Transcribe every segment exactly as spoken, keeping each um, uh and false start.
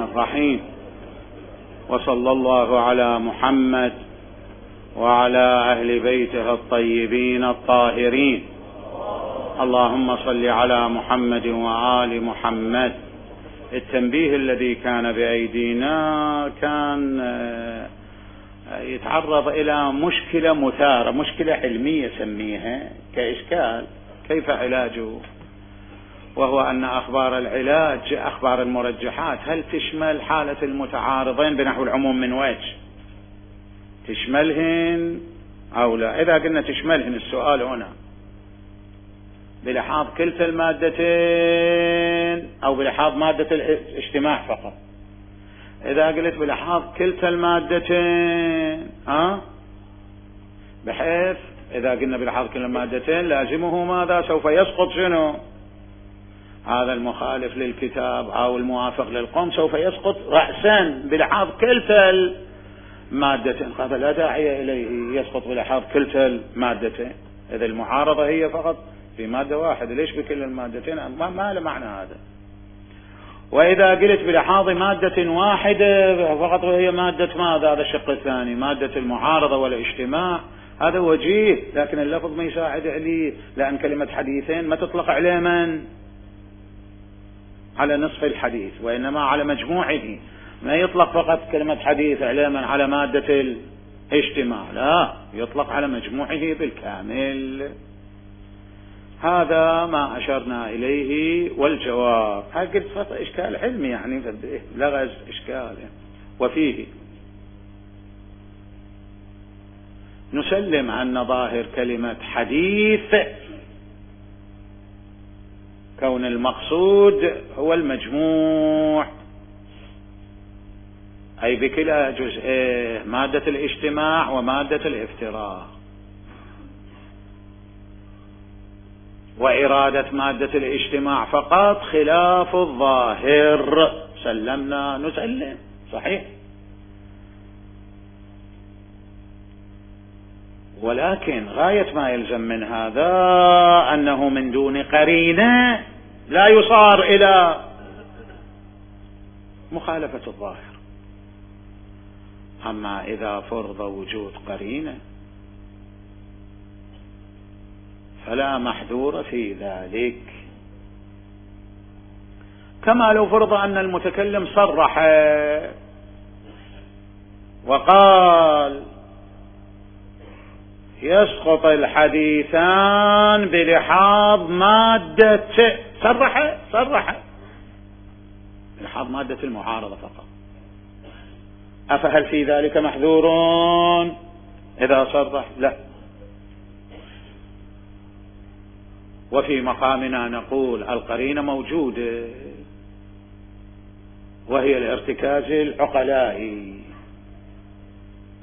الرحيم. وصلى الله على محمد وعلى أهل بيته الطيبين الطاهرين. اللهم صل على محمد وآل محمد. التنبيه الذي كان بأيدينا كان يتعرض إلى مشكلة مثارة، مشكلة علمية سميها كإشكال كيف علاجه، وهو أن أخبار العلاج أخبار المرجحات هل تشمل حالة المتعارضين بنحو العموم من وجه، تشملهن أو لا؟ إذا قلنا تشملهن السؤال هنا بلحاظ كلتا المادتين أو بلحاظ مادة الاجتماع فقط. إذا قلت بلحاظ كلتا المادتين أه؟ بحيث إذا قلنا بلحاظ كلتا المادتين لازمه ماذا؟ سوف يسقط شنو؟ هذا المخالف للكتاب أو الموافق للقوم سوف يسقط رأسا بلحاظ كلتا المادتين، هذا لا داعي إليه، يسقط بلحاظ كلتا المادتين. إذا المعارضة هي فقط في مادة واحدة، ليش بكل المادتين؟ ما, ما له معنى هذا. وإذا قلت بلحاظ مادة واحدة فقط وهي مادة ماذا؟ هذا الشق الثاني، مادة المعارضة والاجتماع، هذا وجيه، لكن اللفظ ما يساعد عليه، لأن كلمة حديثين ما تطلق عليه من على نصف الحديث، وإنما على مجموعه. ما يطلق فقط كلمة حديث علما على مادة الاجتماع، لا، يطلق على مجموعه بالكامل. هذا ما أشرنا إليه. والجواب هكذا فقط إشكال علمي، يعني لغز إشكال يعني. وفيه نسلم أن ظاهر كلمة حديث كون المقصود هو المجموع، أي بكلا جزئيه، مادة الاجتماع ومادة الافتراق. وإرادة مادة الاجتماع فقط خلاف الظاهر. سلمنا نسلم، صحيح. ولكن غاية ما يلزم من هذا أنه من دون قرينة لا يصار إلى مخالفة الظاهر. أما إذا فرض وجود قرينة فلا محذور في ذلك، كما لو فرض أن المتكلم صرح وقال يسقط الحديثان بلحاظ مادة، صرح صرح بلحاظ مادة المعارضة فقط. أفهل في ذلك محذور إذا صرح؟ لا. وفي مقامنا نقول القرينة موجودة، وهي الارتكاز العقلائي،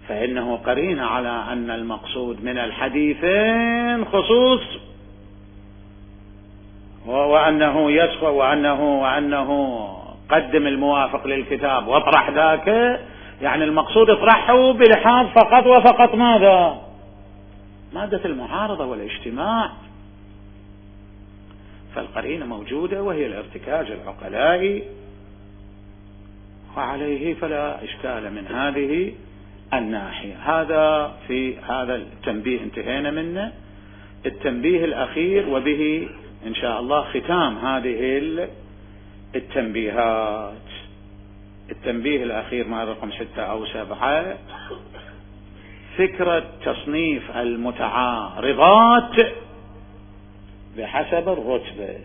فإنه قرينة على أن المقصود من الحديثين خصوص، وأنه يسقط، وأنه وأنه قدم الموافق للكتاب واطرح ذاك، يعني المقصود اطرحه بلحاظ فقط وفقط ماذا؟ مادة المعارضة والاجتماع. فالقرينة موجودة وهي الارتكاز العقلائي، وعليه فلا إشكال من هذه الناحية. هذا في هذا التنبيه انتهينا منه. التنبيه الأخير وبه إن شاء الله ختام هذه التنبيهات. التنبيه الأخير ما رقم ستة أو سبعة، فكرة تصنيف المتعارضات بحسب الرتبة.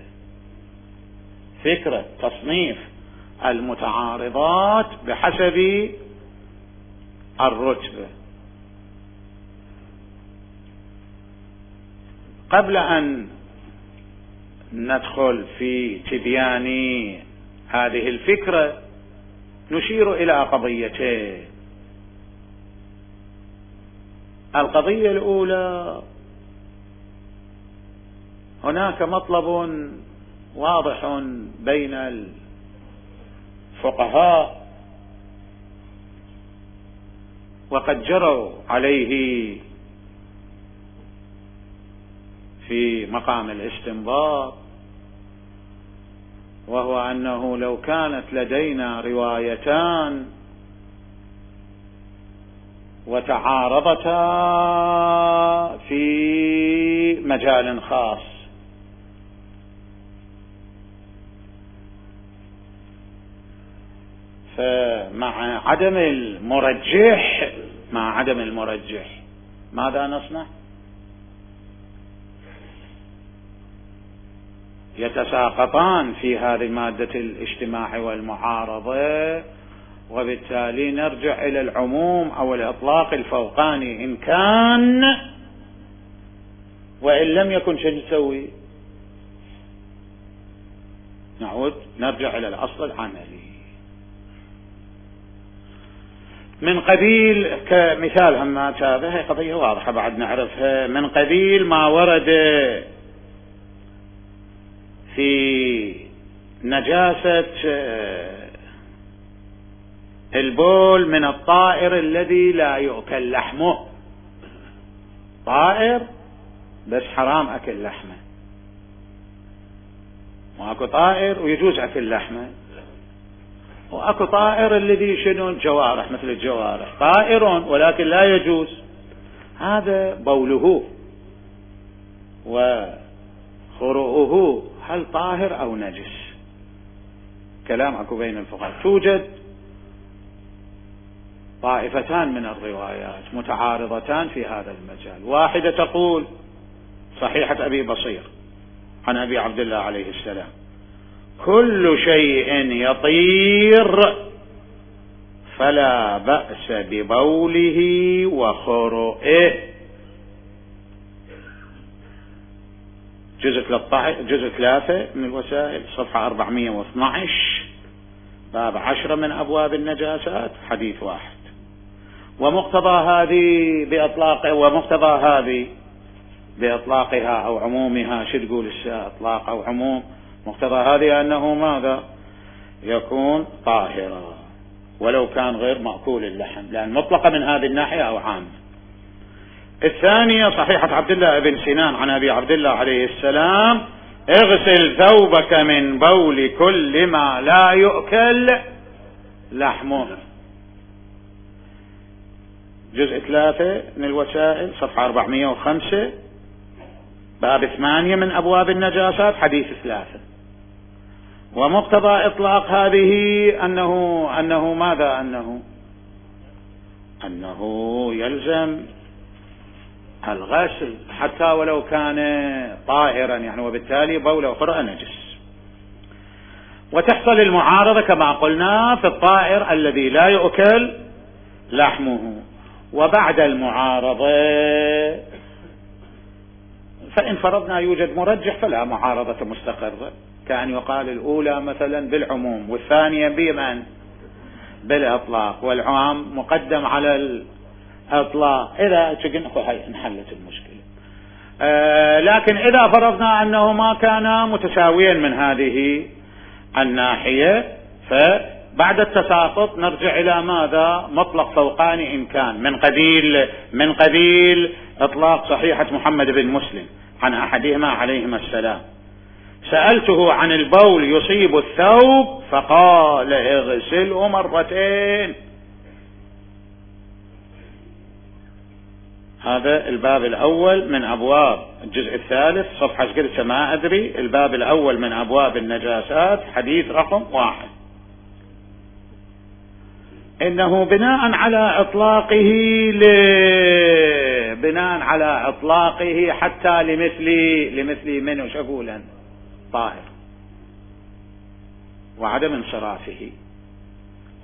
فكرة تصنيف المتعارضات بحسب الرتبة. قبل أن ندخل في تبيان هذه الفكرة نشير إلى قضيتين. القضية الأولى، هناك مطلب واضح بين الفقهاء وقد جروا عليه في مقام الاستنباط، وهو أنه لو كانت لدينا روايتان وتعارضتا في مجال خاص، فمع عدم المرجح مع عدم المرجح ماذا نصنع؟ يتساقطان في هذه مادة الاجتماع والمعارضة، وبالتالي نرجع إلى العموم أو الإطلاق الفوقاني إن كان، وإن لم يكن شو نسوي؟ نعود نرجع إلى الأصل العملي. من قبيل كمثال هم هذه قضية واضحة بعد نعرفها، من قبيل ما ورد في نجاسة البول من الطائر الذي لا يؤكل لحمه، طائر بس حرام أكل لحمه، واكو طائر ويجوز أكل لحمه، واكو طائر الذي شنو الجوارح مثل الجوارح طائر ولكن لا يجوز، هذا بوله وخروؤه هل طاهر أو نجس؟ كلام اكو بين الفقهاء. توجد طائفتان من الروايات متعارضتان في هذا المجال، واحدة تقول صحيحة أبي بصير عن أبي عبد الله عليه السلام: كل شيء يطير فلا بأس ببوله وخروئه. جزء جزء ثلاثة من الوسائل صفحة أربعمائة واثني عشر باب عشرة من أبواب النجاسات حديث واحد. ومقتضى هذه بإطلاق ومقتضى هذه بإطلاقها أو عمومها، شو تقول الساعة إطلاق أو عموم؟ مقتضى هذه أنه ماذا؟ يكون طاهرا ولو كان غير مأكول اللحم، لأن مطلقة من هذه الناحية أو عامة. الثانية صحيحة عبد الله بن سنان عن أبي عبد الله عليه السلام: اغسل ثوبك من بول كل ما لا يؤكل لحمه. جزء ثلاثة من الوسائل صفحة أربعمائة وخمسة باب ثمانية من أبواب النجاسات حديث ثلاثة. ومقتضى إطلاق هذه أنه أنه ماذا؟ أنه أنه يلزم الغسل حتى ولو كان طاهرا يعني، وبالتالي بول أخرى نجس. وتحصل المعارضة كما قلنا في الطائر الذي لا يؤكل لحمه. وبعد المعارضة فإن فرضنا يوجد مرجح فلا معارضة مستقرة، كأن يقال الأولى مثلا بالعموم والثانية بمن؟ بالإطلاق، والعام مقدم على الإطلاق. إذا انحلت المشكلة. آه لكن إذا فرضنا أنه ما كان متساويا من هذه الناحية، فبعد التساقط نرجع إلى ماذا؟ مطلق فوقاني إن كان من قبيل من قبيل إطلاق صحيحة محمد بن مسلم عن أحدهما عليهما السلام: سألته عن البول يصيب الثوب فقال اغسله مرتين. هذا الباب الأول من أبواب الجزء الثالث صفحة قلت ما أدري، الباب الأول من أبواب النجاسات حديث رقم واحد. إنه بناء على إطلاقه ل... بناء على إطلاقه حتى لمثل لمثل منه شغولا طائر وعدم انصرافه،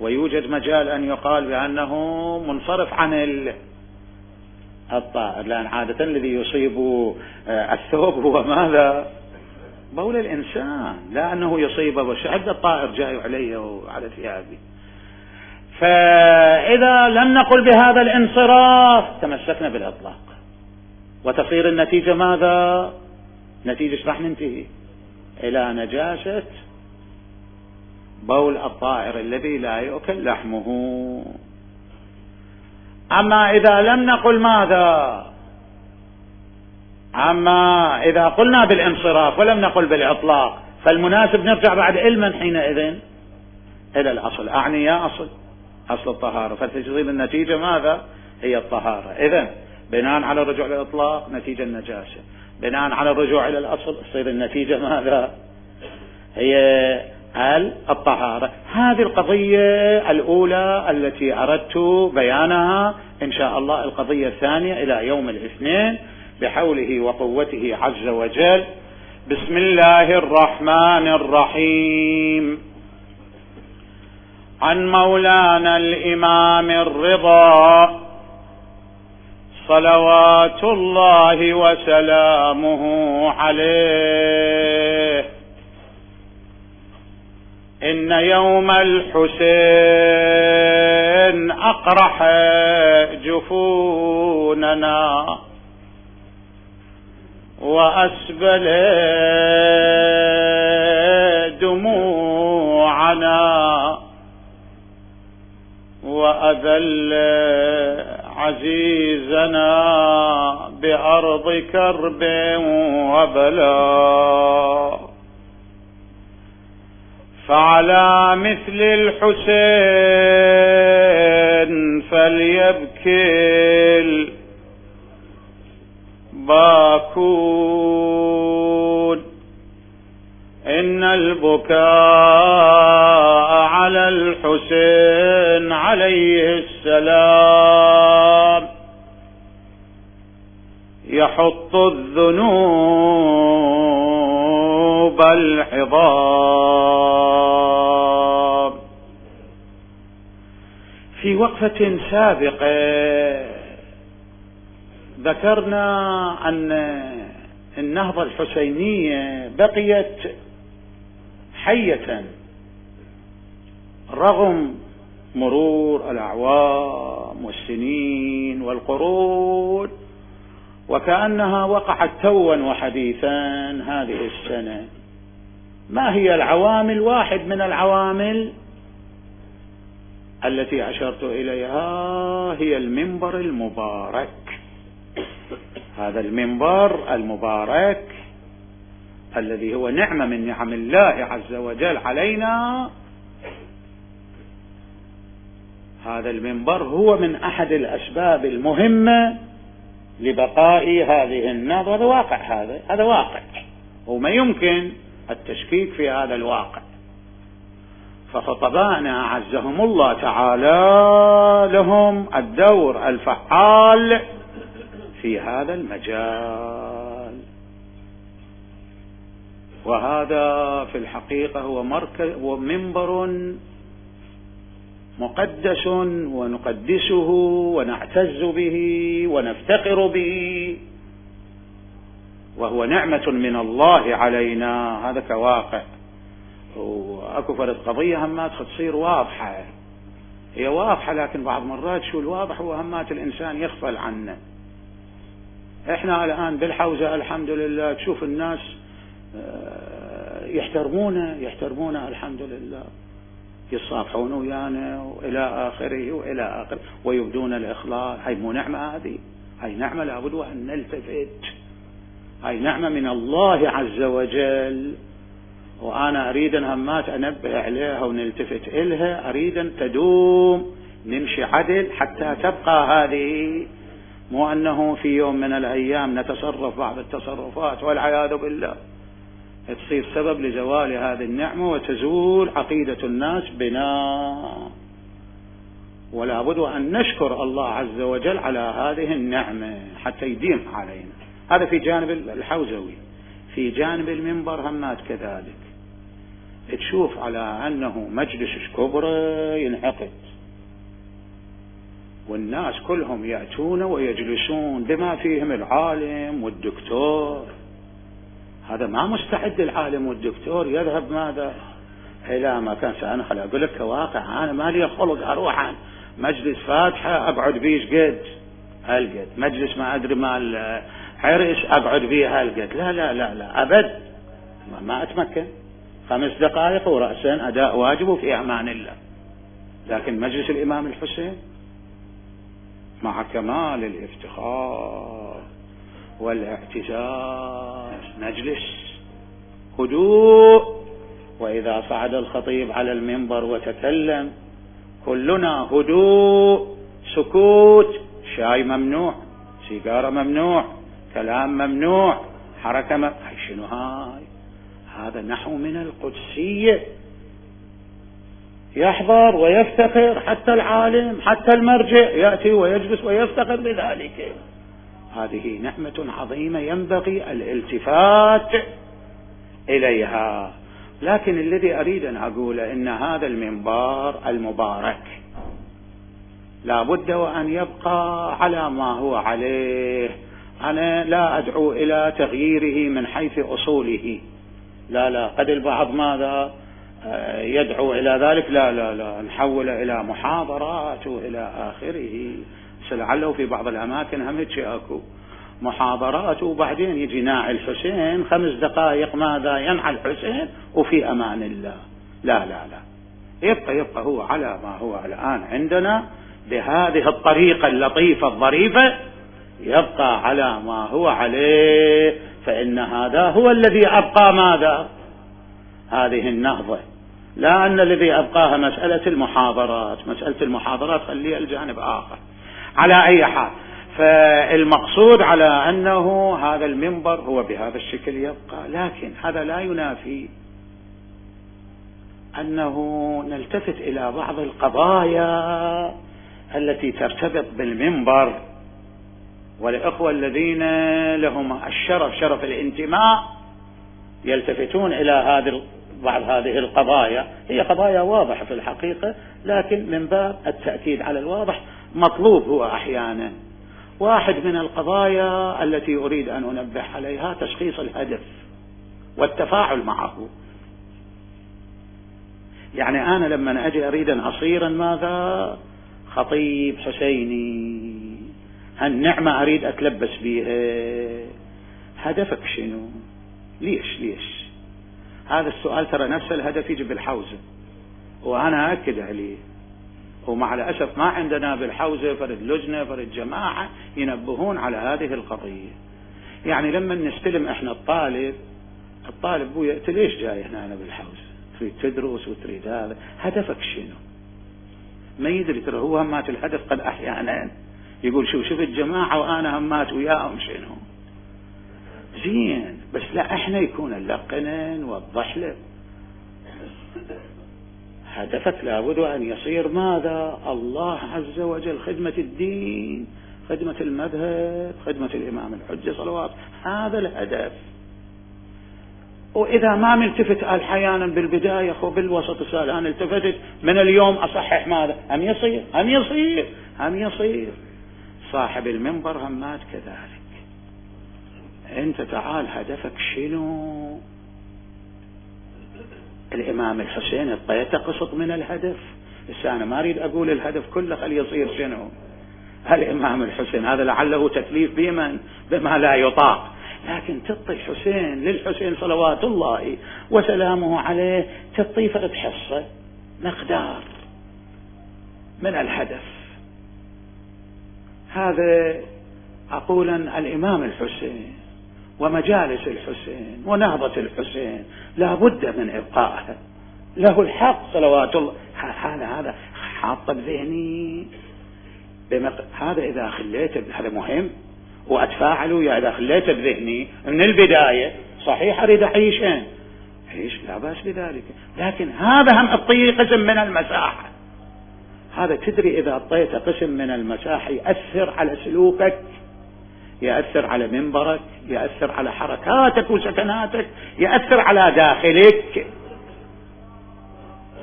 ويوجد مجال أن يقال بأنه منصرف عن ال... الطائر، لأن عادة الذي يصيب الثوب هو ماذا؟ بول الإنسان، لا أنه يصيب وشعد الطائر جاي عليه وعلى ثيابه. فإذا لم نقل بهذا الانصراف تمسكنا بالإطلاق، وتصير النتيجة ماذا؟ نتيجة راح ننتهي إلى نجاسة بول الطائر الذي لا يؤكل لحمه. أما إذا لم نقل ماذا؟ أما إذا قلنا بالانصراف ولم نقل بالإطلاق فالمناسب نرجع بعد علما حينئذ إلى الأصل، أعني يا أصل أصل الطهارة، فتصير النتيجة ماذا؟ هي الطهارة. إذن بناء على الرجوع للإطلاق نتيجة النجاسة، بناء على الرجوع إلى الأصل تصير النتيجة ماذا؟ هي الطهارة. هذه القضية الأولى التي أردت بيانها، إن شاء الله القضية الثانية إلى يوم الاثنين بحوله وقوته عز وجل. بسم الله الرحمن الرحيم. عن مولانا الإمام الرضا صلوات الله وسلامه عليه: إن يوم الحسين أقرح جفوننا وأسبل دموعنا وأذل عزيزنا بأرض كرب وبلاء، فعلى مثل الحسين فليبكي الباكون، إن البكاء على الحسين عليه السلام يحط الذنوب الحضام. في وقفة سابقة ذكرنا أن النهضة الحسينية بقيت حية رغم مرور الأعوام والسنين والقرون، وكأنها وقعت توا وحديثا هذه السنة. ما هي العوامل؟ واحد من العوامل التي أشرت إليها هي المنبر المبارك. هذا المنبر المبارك الذي هو نعمة من نعم الله عز وجل علينا، هذا المنبر هو من أحد الأسباب المهمة لبقاء هذه النهضة. هذا واقع، هذا هذا واقع وما يمكن التشكيك في هذا الواقع. فخطبائنا أعزهم الله تعالى لهم الدور الفعال في هذا المجال، وهذا في الحقيقة هو مركز ومنبر مقدس ونقدسه ونعتز به ونفتقر به، وهو نعمة من الله علينا. هذا كواقع. وأكو فرد قضية همات تصير واضحة، هي واضحة، لكن بعض مرات شو الواضح هو همات الإنسان يغفل عنه. احنا الآن بالحوزة الحمد لله تشوف الناس يحترمونه يحترمونه الحمد لله، يصافحون ويانا وإلى آخره وإلى آخره ويبدون الإخلاص. هاي مو نعمة؟ هذه هاي نعمة لابد أن نلتفت، هاي نعمة من الله عز وجل، وأنا أريد أن همات أنبه عليها ونلتفت إلها، أريد أن تدوم نمشي عدل حتى تبقى هذه، مو أنه في يوم من الأيام نتصرف بعض التصرفات والعياذ بالله تصير سبب لزوال هذه النعمة وتزول عقيدة الناس بنا. ولا بد أن نشكر الله عز وجل على هذه النعمة حتى يديم علينا. هذا في جانب الحوزوي. في جانب المنبر همات كذلك تشوف على أنه مجلس كبرى ينعقد والناس كلهم يأتون ويجلسون بما فيهم العالم والدكتور. هذا ما مستعد العالم والدكتور يذهب ماذا إلى ما كان. سأنخل أقول لك كواقع، أنا ما لي خلق أروح عن مجلس فاتحة أقعد بيش قد هالقد، مجلس ما أدري مال حرس أقعد بيه هالقد، لا لا لا لا أبد، ما أتمكن. خمس دقائق ورأسا أداء واجب في أمان الله. لكن مجلس الإمام الحسين مع كمال الافتخار والاعتزاز نجلس هدوء. وإذا صعد الخطيب على المنبر وتكلم كلنا هدوء، سكوت، شاي ممنوع، سيجارة ممنوع، كلام ممنوع، حركة م... هاي شنو هاي؟ هذا نحو من القدسية، يحضر ويفتخر، حتى العالم حتى المرجع يأتي ويجلس ويفتخر بذلك. هذه نعمة عظيمة ينبغي الالتفات إليها. لكن الذي أريد أن أقوله إن هذا المنبر المبارك لا بد وأن يبقى على ما هو عليه. أنا لا أدعو إلى تغييره من حيث أصوله، لا لا، قد البعض ماذا يدعو إلى ذلك، لا لا لا، نحول إلى محاضرات وإلى آخره. لعله في بعض الأماكن هم هيك أكو محاضرات، وبعدين يجي ناعي الحسين خمس دقائق ماذا ينعى الحسين وفي أمان الله. لا لا لا، يبقى يبقى هو على ما هو الآن عندنا بهذه الطريقة اللطيفة الظريفة، يبقى على ما هو عليه. فإن هذا هو الذي أبقى ماذا هذه النهضة، لا أن الذي أبقاها مسألة المحاضرات. مسألة المحاضرات خليها الجانب آخر. على أي حال، فالمقصود على أنه هذا المنبر هو بهذا الشكل يبقى، لكن هذا لا ينافي أنه نلتفت إلى بعض القضايا التي ترتبط بالمنبر. والإخوة الذين لهم الشرف شرف الانتماء يلتفتون إلى هذه بعض هذه القضايا. هي قضايا واضحة في الحقيقة، لكن من باب التأكيد على الواضح مطلوب هو أحيانا. واحد من القضايا التي أريد أن أنبه عليها تشخيص الهدف والتفاعل معه. يعني أنا لما أجي أريد أن أصير ماذا خطيب حسيني، هالنعمة أريد أتلبس بها، هدفك شنو؟ ليش ليش؟ هذا السؤال ترى نفس الهدف يجي بالحوزة، وأنا أكد عليه. ومع الأسف ما عندنا بالحوزة فرد لجنة فرد جماعة ينبهون على هذه القضية. يعني لما نستلم إحنا الطالب، الطالب بويا أنت ليش جاي هنا أنا بالحوزة؟ تريد تدرس وتريد هذا، هدفك شنو؟ ما يدري. ترى هو همات الهدف قد أحيانا يقول شو شوف الجماعة وأنا همات وياهم شنو زين، بس لا إحنا يكون اللقنا نوضح له هدفك لابد أن يصير ماذا الله عز وجل، خدمة الدين، خدمة المذهب، خدمة الإمام الحجة صلوات، هذا الهدف. وإذا ما ملتفت أحيانا بالبداية أو بالوسط السؤال أنا التفتت من اليوم أصحح ماذا هم يصير هم يصير هم يصير صاحب المنبر همات كذلك. أنت تعال هدفك شنو؟ الإمام الحسين الطيته قسط من الهدف. بس أنا ما أريد أقول الهدف كله خلي يصير شنو. الإمام الحسين هذا لعله تكليف بمن بما لا يطاق، لكن تعطي الحسين للحسين صلوات الله وسلامه عليه تعطي فرد حصة مقدار من الهدف. هذا أقولا الإمام الحسين ومجالس الحسين ونهضة الحسين لا بد من إبقائها، له الحق صلوات الله. هذا هذا حاط بذهني بمق... هذا إذا خليته هذا مهم وأتفاعله. يا إذا خليته بذهني من البداية صحيح أريد أعيش أين عيش لا بأس بذلك، لكن هذا هم أعطيه قسم من المساحة. هذا تدري إذا أعطيته قسم من المساحة يأثر على سلوكك، يأثر على منبرك، يأثر على حركاتك وسكناتك، يأثر على داخلك.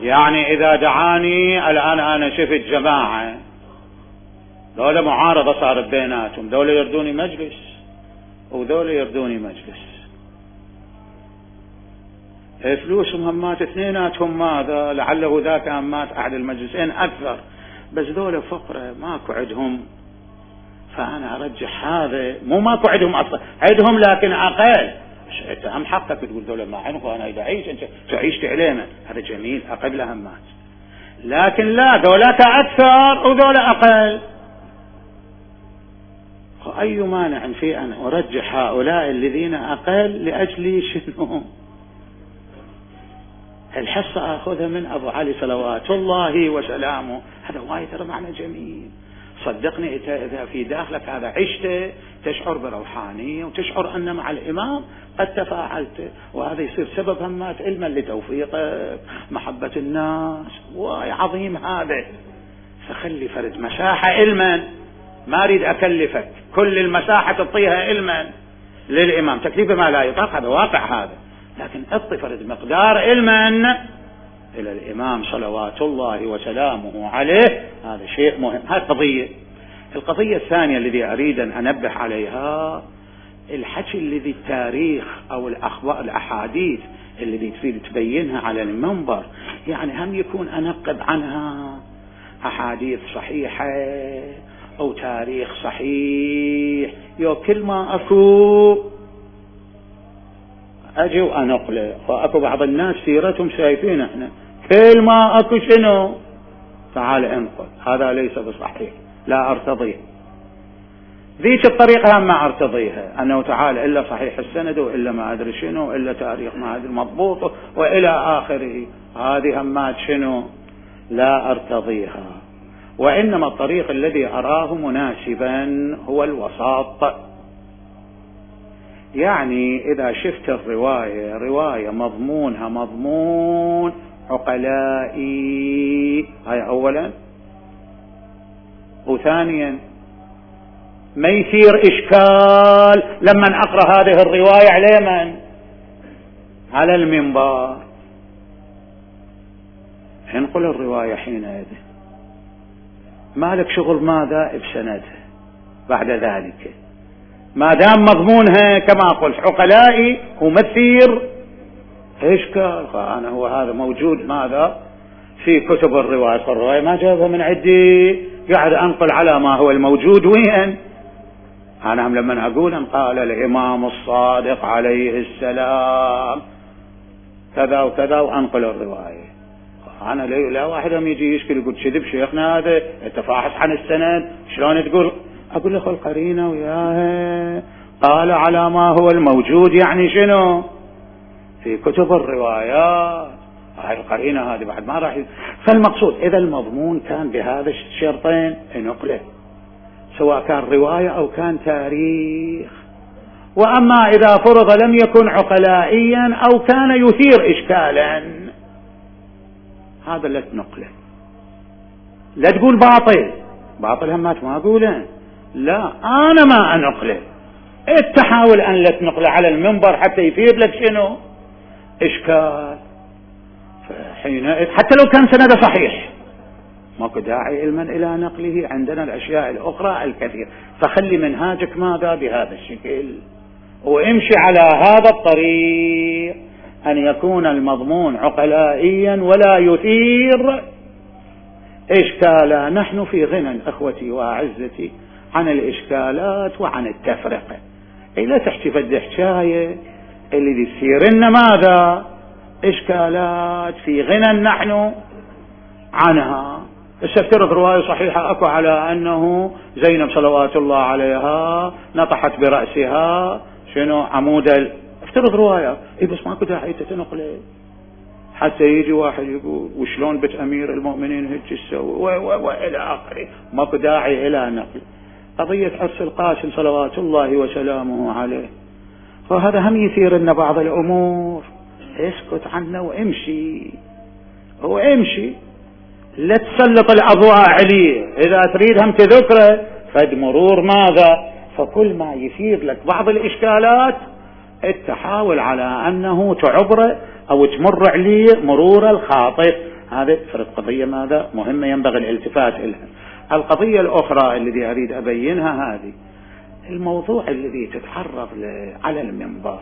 يعني إذا دعاني الآن أنا شفت جماعة دولة معارضة صارت بيناتهم، دولة يردوني مجلس ودولة يردوني مجلس، فلوسهم همات اثنيناتهم ماذا لعله ذاك همات أحد المجلسين أكثر، بس دولة فقرة ماكو عندهم. فأنا أرجح هذا، مو ماكو عندهم أصلا عندهم لكن أقل. أنت هم حقك تقول دولة ما عنك وأنا إذا أعيش أنت تعيش تعليمة، هذا جميل أقل همات. لكن لا، دولة أكثر ودولة أقل. أي مانع في أن أرجح هؤلاء الذين أقل لأجل شنو؟ الحصة أخذها من أبو علي صلوات الله وسلامه. هذا وايد ترى معنى جميل. صدقني إذا في داخلك هذا عشته تشعر بروحانية وتشعر أن مع الإمام قد تفاعلت، وهذا يصير سبب همات علما لتوفيقك محبة الناس. واي عظيم هذا. فخلي فرد مساحة علما، ما أريد أكلفك كل المساحة تعطيها علما للإمام، تكليف ما لا يطاق، هذا واقع هذا، لكن اعطي فرد مقدار علما إلى الإمام صلوات الله وسلامه عليه. هذا شيء مهم. هذه قضية. القضية الثانية الذي أريد أن أنبه عليها الحكي الذي التاريخ أو الأخبار الأحاديث الذي تريد تبينها على المنبر، يعني هم يكون أنقب عنها أحاديث صحيحة أو تاريخ صحيح. يو كل ما أكو أجي وأنقله، وأكو بعض الناس سيرتهم شايفين احنا كل ما أكو شنو تعال انقل، هذا ليس بصحيح، لا أرتضيه. ذيك الطريقة هم ما أرتضيها، أنه تعال إلا صحيح السند وإلا ما أدري شنو إلا تاريخ ما أدري مضبوط وإلى آخره. هذه همات شنو لا أرتضيها. وإنما الطريق الذي أراه مناسبا هو الوساط. يعني إذا شفت الرواية رواية مضمونها مضمون عقلائي، هاي أولا، وثانيا ما يصير إشكال لما أقرأ هذه الرواية على من؟ على المنبر. انقل الرواية حينئذ، ما لك شغل ماذا بسندها بعد ذلك، ما دام مضمونها كما قلت عقلائي ومثير إشكال. فأنا هو هذا موجود ماذا في كتب الرواية، الرواية ما جابها من عندي، قاعد أنقل على ما هو الموجود. وين أنا هم لما أقول أن قال الإمام الصادق عليه السلام كذا وكذا وأنقل الرواية، أنا لا واحد هم يجي يشكل يقول كذب شيخنا هذا التفاحص عن السند شلون تقول؟ أقول له القرينة وياها قال على ما هو الموجود، يعني شنو في كتب الروايات. هاي القرينة هذه بعد ما راح. فالمقصود إذا المضمون كان بهذا الشرطين نقله، سواء كان رواية أو كان تاريخ. وأما إذا فرض لم يكن عقلائيا أو كان يثير إشكالا، هذا لا تنقله. لا تقول باطل، باطل همات ما أقوله، لا أنا ما أنقله. تحاول أن لا تنقله على المنبر حتى يثير لك شنو إشكال. فحين حتى لو كان سند صحيح ماكو داعي علما إلى نقله. عندنا الأشياء الأخرى الكثير. فخلي منهاجك ماذا بهذا الشكل، وامشي على هذا الطريق، أن يكون المضمون عقلائيا ولا يثير إشكالا. نحن في غنى أخوتي وأعزتي عن الإشكالات وعن التفرقة. لا تحكي فد حكاية اللي يصير لنا ماذا إشكالات، في غنى نحن عنها. استفترض رواية صحيحة أكو على أنه زينب صلوات الله عليها نطحت برأسها شنو عمود ال... افترض رواية إيه، بس ماكو داعي تتنقل حتى يجي واحد يقول وشلون بيت أمير المؤمنين هيك تسوي وإلى آخره. ماكو داعي إلى نقل. قضية عرس القاسم صلوات الله وسلامه عليه، فهذا هم يثير لنا بعض الأمور. اسكت عنه وامشي، وامشي، لا تسلط الأضواء عليه. إذا تريد هم تذكره فد مرور ماذا، فكل ما يثير لك بعض الإشكالات تحاول على أنه تعبره أو تمر عليه مرور الخاطئ. هذه فرد قضية ماذا مهمة ينبغي الالتفات إلها. القضية الأخرى التي أريد أبينها هذه الموضوع الذي تتعرض على المنبر،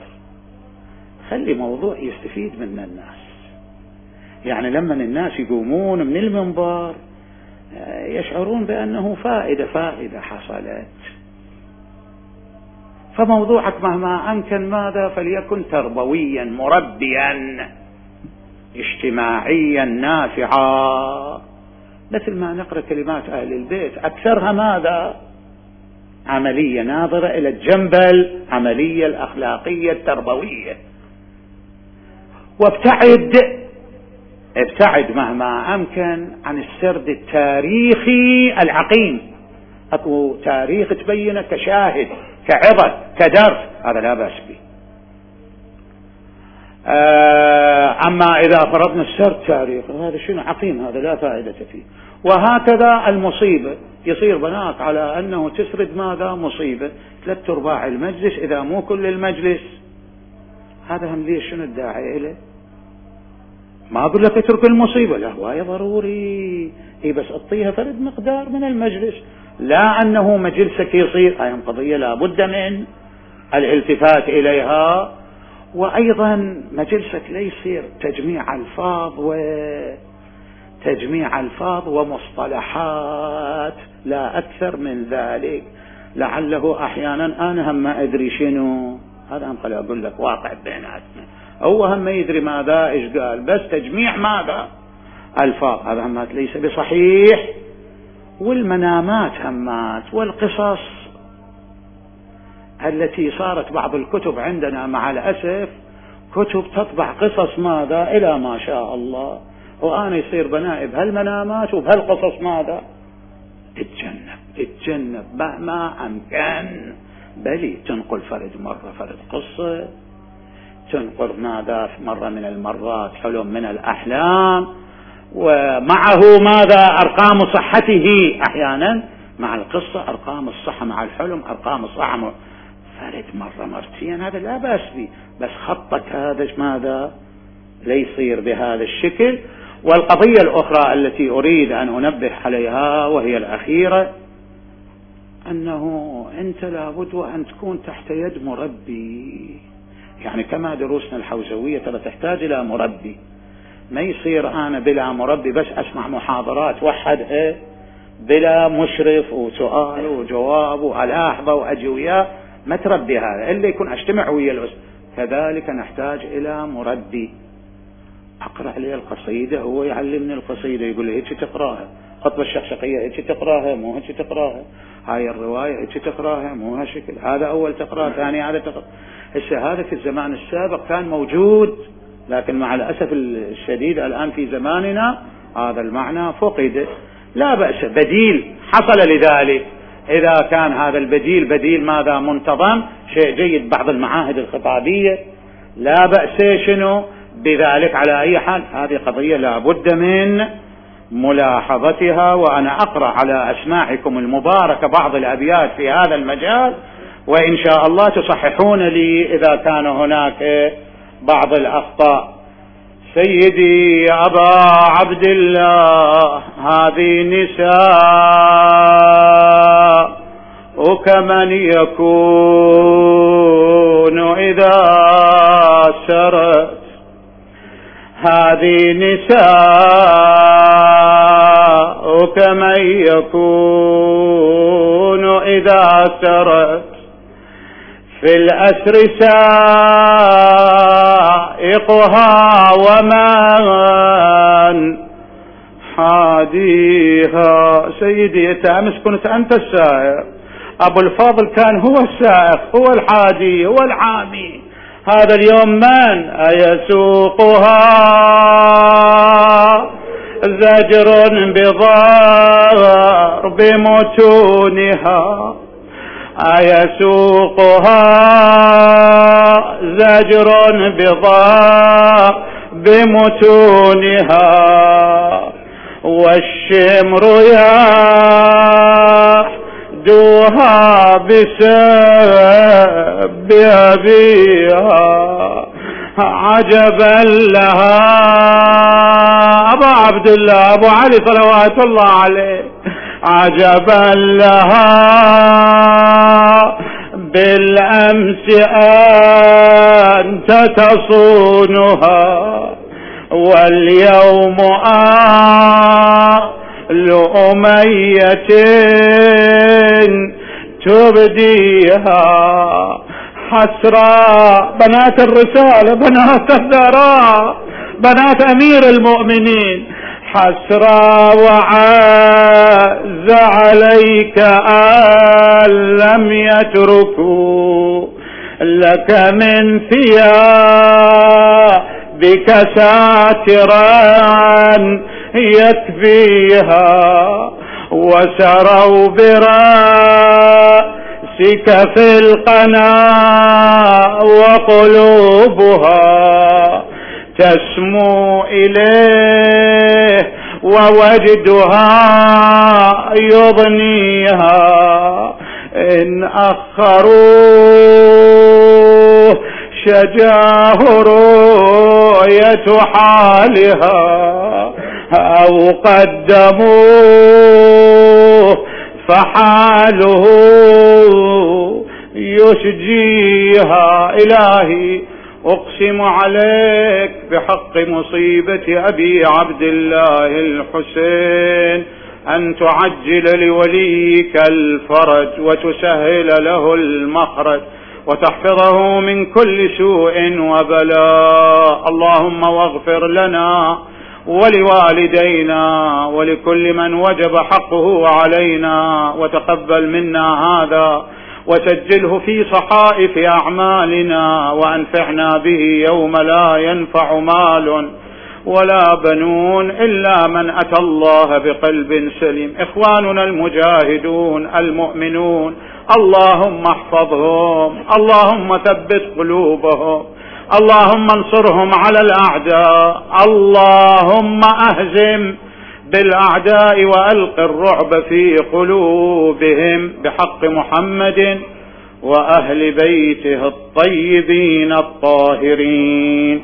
خلي موضوع يستفيد منه الناس. يعني لما الناس يقومون من المنبر يشعرون بأنه فائدة فائدة حصلت. فموضوعك مهما أمكن ماذا فليكن تربويا مربيا اجتماعيا نافعا، مثل ما نقرأ كلمات أهل البيت أكثرها ماذا عملية، ناظرة إلى الجنب العملية الأخلاقية التربوية. وابتعد ابتعد مهما أمكن عن السرد التاريخي العقيم، أكو تاريخ تبينه كشاهد كعظة كدرس، هذا لا بأس به. أما إذا فرضنا السرد تاريخ هذا شنو عقيم، هذا لا فائدة فيه. وهكذا المصيبة، يصير بنات على أنه تسرد ماذا مصيبة ثلاث أرباع المجلس إذا مو كل المجلس، هذا هم ليش شنو الداعي إليه؟ ما أقول لك اترك المصيبة، لا هواية ضروري، هي بس اعطيها فرد مقدار من المجلس، لا أنه مجلسك يصير هاي قضية لا بد من الالتفات إليها. وأيضا مجلسك لا يصير تجميع ألفاظ وتجميع ألفاظ ومصطلحات، لا أكثر من ذلك، لعله أحيانا أنا هم ما أدري شنو، هذا هم خلي أقول لك واقع بيناتنا، هو هم ما يدري ماذا إيش قال، بس تجميع ماذا ألفاظ، هذا همات ليس بصحيح. والمنامات همات والقصص التي صارت بعض الكتب عندنا مع الأسف كتب تطبع قصص ماذا إلى ما شاء الله، وأنا يصير بنائب هالمنامات وبهالقصص ماذا، اتجنب اتجنب مهما أمكن، بل تنقل فرد مرة فرد قصة، تنقل ماذا مرة من المرات حلم من الأحلام، ومعه ماذا أرقام صحته أحيانا مع القصة، أرقام الصحة مع الحلم، أرقام الصحة مع فرد مرة مرتين، هذا لا بأس به، بس خطك هذا ماذا لا يصير بهذا الشكل. والقضية الأخرى التي أريد أن أنبه عليها وهي الأخيرة، أنه أنت لابد وأن تكون تحت يد مربي، يعني كما دروسنا الحوزوية ترى تحتاج إلى مربي، ما يصير أنا بلا مربي بس أسمع محاضرات وحدها بلا مشرف وسؤال وجواب وألاحظة وأجي وياه، ما تربي هذا إلا يكون أجتمع ويا الأسر. كذلك نحتاج إلى مربي، أقرأ لي القصيدة هو يعلمني القصيدة، يقول لي هيك تقراها، خطبة الشخشقية هيك تقراها مو هيك تقراها، هاي الرواية هيك تقراها مو هالشكل، هذا أول تقرأ ثاني هذا تقرأ. هسه هذا في الزمان السابق كان موجود، لكن مع الأسف الشديد الآن في زماننا هذا المعنى فقد. لا بأس، بديل حصل لذلك، إذا كان هذا البديل بديل ماذا منتظم شيء جيد، بعض المعاهد الخطابية لا بأس شنو بذلك. على أي حال هذه قضية لا بد من ملاحظتها، وأنا أقرأ على أسماعكم المباركة بعض الأبيات في هذا المجال، وإن شاء الله تصححون لي إذا كان هناك بعض الأخطاء. سيدي يا أبا عبد الله هذه نساء وكمن يكون إذا سرت، هذه نساء وكمن يكون إذا سرت، في الأسر سائقها ومن حاديها. سيدي أنت أمس كنت أنت السائق، أبو الفاضل كان هو السائق هو الحادي هو الحامي، هذا اليوم من أيسوقها زجر بضرب متونها، أيسوقها زجر بضرب متونها، والشمر يحدوها بسب أبيها، عجبا لها. أبو عبد الله أبو علي صلوات الله عليه، عجبا لها بالأمس أنت تصونها، واليوم آل أمية تبديها. حسرى بنات الرسالة، بنات الثراء، بنات أمير المؤمنين، حسرى وعز عليك أن لم يتركوا لك من ثياب بك ساترا يكفيها، وسروا برأسك في القنا وقلوبها تسمو إليه ووجدها يضنيها، إن أخروه شجاه رؤية حالها، أو قدموه فحاله يشجيها. إلهي أقسم عليك بحق مصيبة أبي عبد الله الحسين أن تعجل لوليك الفرج وتسهل له المخرج وتحفظه من كل سوء وبلاء. اللهم واغفر لنا ولوالدينا ولكل من وجب حقه علينا، وتقبل منا هذا وسجله في صحائف أعمالنا، وأنفعنا به يوم لا ينفع مال ولا بنون إلا من أتى الله بقلب سليم. إخواننا المجاهدون المؤمنون اللهم احفظهم، اللهم ثبت قلوبهم، اللهم انصرهم على الأعداء، اللهم أهزم بالأعداء وألق الرعب في قلوبهم بحق محمد وأهل بيته الطيبين الطاهرين.